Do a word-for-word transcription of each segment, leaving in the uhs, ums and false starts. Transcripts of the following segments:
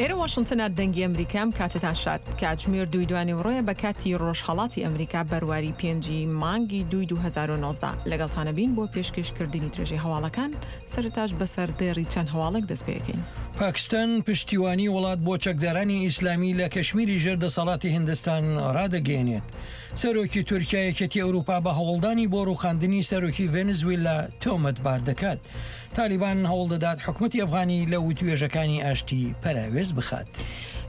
ئێرە واشنتنە، دەنگی ئەمریکا. ئەم کاتتان شاد. کاتژمێر دووی دوانیوەڕۆیە بە کاتی ڕۆژهەڵاتی ئەمریکا، بەرواری پێنجی مانگی دووی دوو هەزار و نۆزدە. لەگەڵتانە بین بۆ پێشکەشکردنی درێژەی هەواڵەکان. سەرەتاش بەسەر دێڕی چەند هەواڵێک دەست پێەکەین. پاکستان پشتیوانی وڵات بۆ چەکدارانی ئیسلامی لە کەشمیری ژێر دەسەڵاتی هندستان ڕادەگەیەنێت. سەرۆکی تورکیا یەکێتی ئەوروپا بە هەوڵدانی بۆ ڕوخاندنی سەرۆکی ڤێنزویلا تۆمەتبار دەکات. تالیبان هەوڵ دەدات حکومەتی ئەفغانی لە وتوێژەکانی ئاشتی پەراوێز بخات.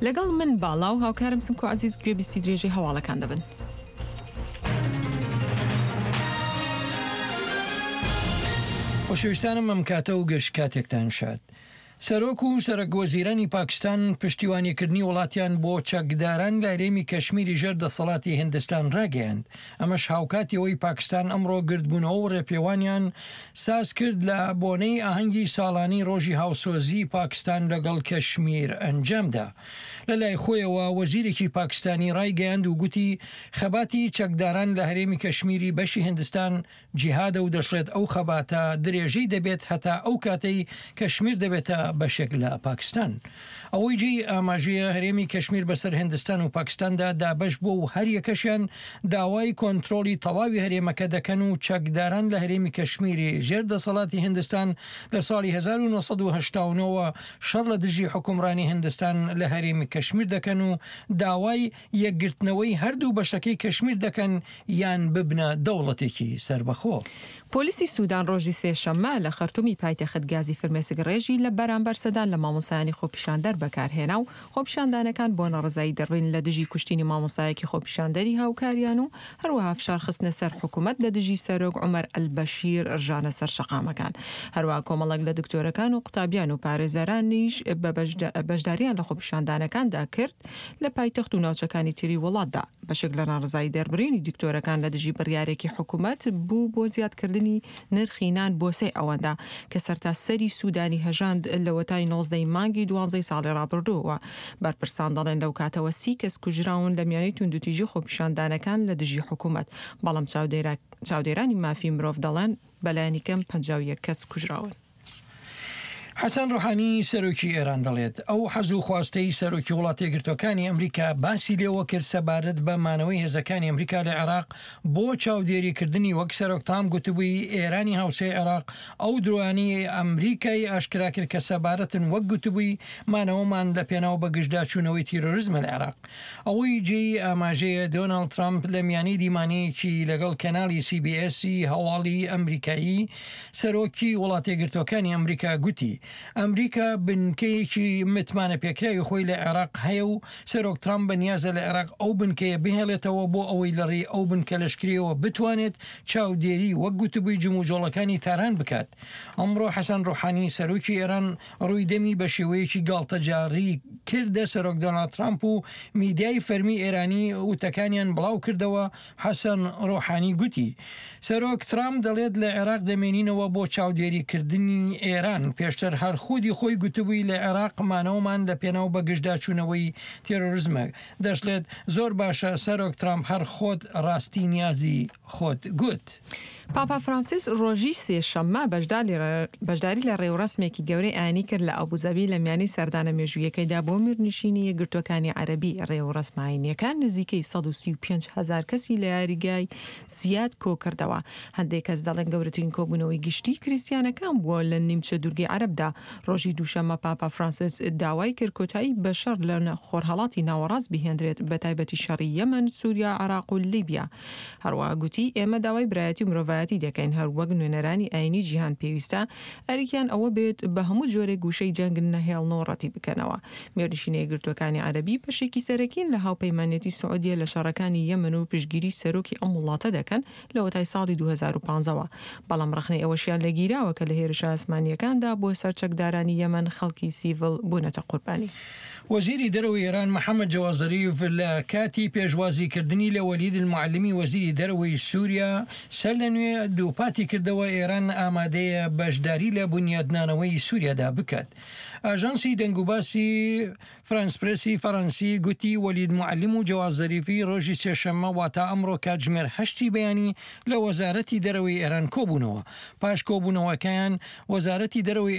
لەگەڵ من باڵا و هاوکارم سمکۆ عزیز گوێبیستی درێژەی هەواڵەکان دەبن. خۆشەویستانم، ئەم کاتە و گشت کاتێکتان شاد. سەرۆک و سەرەک وەزیرانی پاکستان پشتیوانیکردنی وڵاتیان بۆ چەکداران لە هەرێمی کەشمیری ژێر دەسەڵاتی هندستان ڕاگەیاند. ئەمەش هاوکاتی ئەوەی پاکستان ئەمڕۆ گردبوونەوە و ڕێپێوانیان ساز کرد لە بۆنەی ئاهەنگی ساڵانی ڕۆژی هاوسۆزی پاکستان لەگەڵ کەشمیر ئەنجامدا. لە لای خۆیەوە وەزیرێکی پاکستانی ڕایگەیاند و گوتی خەباتی چەکداران لە هەرێمی کەشمیری بەشی هندستان جیهادە و دەشڵێت ئەو خەباتە درێژەی دەبێت هەتا ئەو کاتەی کەشمیر دەبێتە بەشێک لە پاکستان. ئەوەی جێی ئاماژەیە، هەرێمی کەشمیر بەسەر هندستان و پاکستاندا دابەش بووە و هەر یەکەشیان داوای کۆنترۆڵی تەواوی هەرێمەکە دەکەن و چەکداران لە هەرێمی کەشمیری ژێر دەسەڵاتی هندستان لە ساڵی هەزار و نۆ سەد و هەشتا و نۆ شەڕ لە دژی حکومڕانی هندستان لە هەرێمی کەشمیر دەکەن و داوای یەکگرتنەوەی هەردوو بەشەکەی کەشمیر دەکەن یان ببنە دەوڵەتێکی سەربەخۆ. پۆلیسی سودان ڕۆژی سێشەممە لە خەرتومی پایتەخت گازی فرمێسک ڕێژی لە بەرامبەر سەدان لە مامۆستایانی خۆپیشاندەر بەکارهێنا و خۆپیشاندانەکان بۆ ناڕەزایی دەربڕین لە دژی کوشتنی مامۆستایەکی خۆپیشاندەری هاوکاریان و هەروەها فشار خستنە سەر حکوومەت لە دژی سەرۆک عومەر ئەلبەشیر ڕژانە سەر شەقامەکان. هەروەها کۆمەڵێک لە دکتۆرەکان و قوتابیان و پارێزەرانیش بە بەشداریان لە خۆپیشاندانەکاندا کرد لە پایتەخت و ناوچەکانی تری وڵاتدا. بەشێک لە ناڕەزایی دەربڕینی دکتۆرەکان لە دژی بڕیارێکی حکوومەت بوو بۆ زیادکردنی نرخی نان بۆ سێ ئەوەندە کە سەرتاسەری سوودانی هەژاند لەوەتای نۆزدەی مانگی دوانزەی ساڵی ڕابردووە. بەرپرسان دەڵێن لەو کاتەوە سی کەس کوژراون لە میانەی توندوتیژی خۆپیشاندانەکان لە دژی حکوومەت، بەڵام چاودێرانی مافی مرۆڤ دەڵێن بەلایەنی کەم پەنجا و یەک کەس کوژراون. حەسەن ڕۆحانی سەرۆکی ئێران دەڵێت ئەو حەز و خواستەی سەرۆکی وڵاتە یەکگرتووەکانی ئەمریکا باسی لێوە کرد سەبارەت بە مانەوەی هێزەکانی ئەمریکا لە عێراق بۆ چاودێریکردنی، وەک سەرۆک ترامپ گوتبووی، ئێرانی هاوسێی عێراق، ئەو درۆیانەی ئەمریکای ئاشکرا کرد کە سەبارەتن، وەک گوتبووی، مانەوەمان لە پێناو بەگژداچوونەوەی تیرۆرزمە لە عێراق. ئەوەی جێی ئاماژەیە، دۆناڵد ترامپ لە میانی دیمانەیەکی لەگەڵ کەناڵی سی بی ئێسی هەواڵی ئەمریکایی، سەرۆکی وڵاتە یەکگرتووەکانی ئەمریکا گوتی ئەمریکا بنکەیەکی متمانە پێکراوی خۆی لە عێراق هەیە و سەرۆک ترامپ بەنیازە لە عێراق ئەو بنکەیە بهێڵێتەوە بۆ ئەوەی لە ڕێی ئەو بنکە لەشکریەوە بتوانێت چاودێری، وەک گوتبووی، جموجۆڵەکانی تاران بکات. ئەمڕۆ حەسەن ڕۆحانی سەرۆکی ئێران ڕووی دەمی بە شێوەیەکی گاڵتەجاڕی کردە سەرۆک دۆناڵد ترامپ و میدیای فەرمی ئێرانی وتەکانیان بڵاو کردەوە. حەسەن ڕۆحانی گوتی سەرۆک ترامپ دەڵێت لە عێراق دەمێنینەوە بۆ چاودێریکردنی ئێران، پێشتر هەر خودی خۆی گوتبووی لە عێراق مانەوەمان لە پێناو بەگژداچوونەوەی تێرۆرزمە. دەشڵێت زۆر باشە سەرۆک ترامپ، هەر خۆت ڕاستی نیازی خۆت گوت. پاپا فرانسیس ڕۆژی سێشەممە بەشداری لە ڕێوڕەسمێکی گەورەی ئایینی کرد لە ئەبوزەبی لە میانی سەردانە مێژوویەکەیدا بۆ میرنشینی یەکگرتووەکانی عەرەبی. ڕێوڕەسمە ئایینیەکان نزیکەی سەد و سی و پێنج هەزار کەسی لە یاریگای زیاد کۆ کردەوە. هەندێک کەس دەڵێن گەورەترین کۆبوونەوەی گشتی کریسیانەکان بووە لە نیمچە دوورگەی عەرەبدا. ڕۆژی دووشەممە پاپا فرانسیس داوای کرد کۆتایی بە شەڕ لە خۆرهەڵاتی ناوەڕاست بهێندرێت، بە تایبەتی شەڕی یەمەن، سووریا، عێراق و لیبیا. هەروەها گوتی ئێمە داوای برایەتی و مرۆڤایەتی دەکەین، هەر وەک نوێنەرانی ئایینی جیهان پێویستە ئەرکیان ئەوە بێت بە هەموو جۆرێک گوشەی جەنگ نەهێڵن و ڕەتی بکەنەوە. میرنشینە یەکگرتووەکانی عەرەبی بەشێکی سەرەکین لە هاوپەیمانێتی سعودیە لە شەڕەکانی یەمەن و پشتگیری سەرۆکی ئەم وڵاتە دەکەن لەوەتای ساڵی دوو هەزار و پازدە. بەڵام ڕەخنەی ئەوەشیان لێگیراوە کە لە هێرشە ئاسمانیەکاندا بۆ سەر چەکدارانی یەمەن خەڵکی سیڤیل بوونەتە قوربانی. وەزیری دەرەوەی ئێران محەممەد جەواد زەریف لە کاتی پێشوازیکردنی لە وەلید المعلمی وەزیری دەرەوەی سووریا سەر لە نوێ دووپاتی کردەوە ئێران ئامادەیە بەشداری لە بنیادنانەوەی سووریادا بکات. ئاژانسی دەنگوباسی فرانس پرسی فەرەنسی گوتی وەلید معلم و جەواد زەریفی ڕۆژی سێشەممە، واتە ئەمڕۆ، کاتژمێر هەشتی بەیانی لە وەزارەتی دەرەوەی ئێران کۆبوونەوە. پاش کۆبوونەوەکەیان وەزارەتی دەرەوەی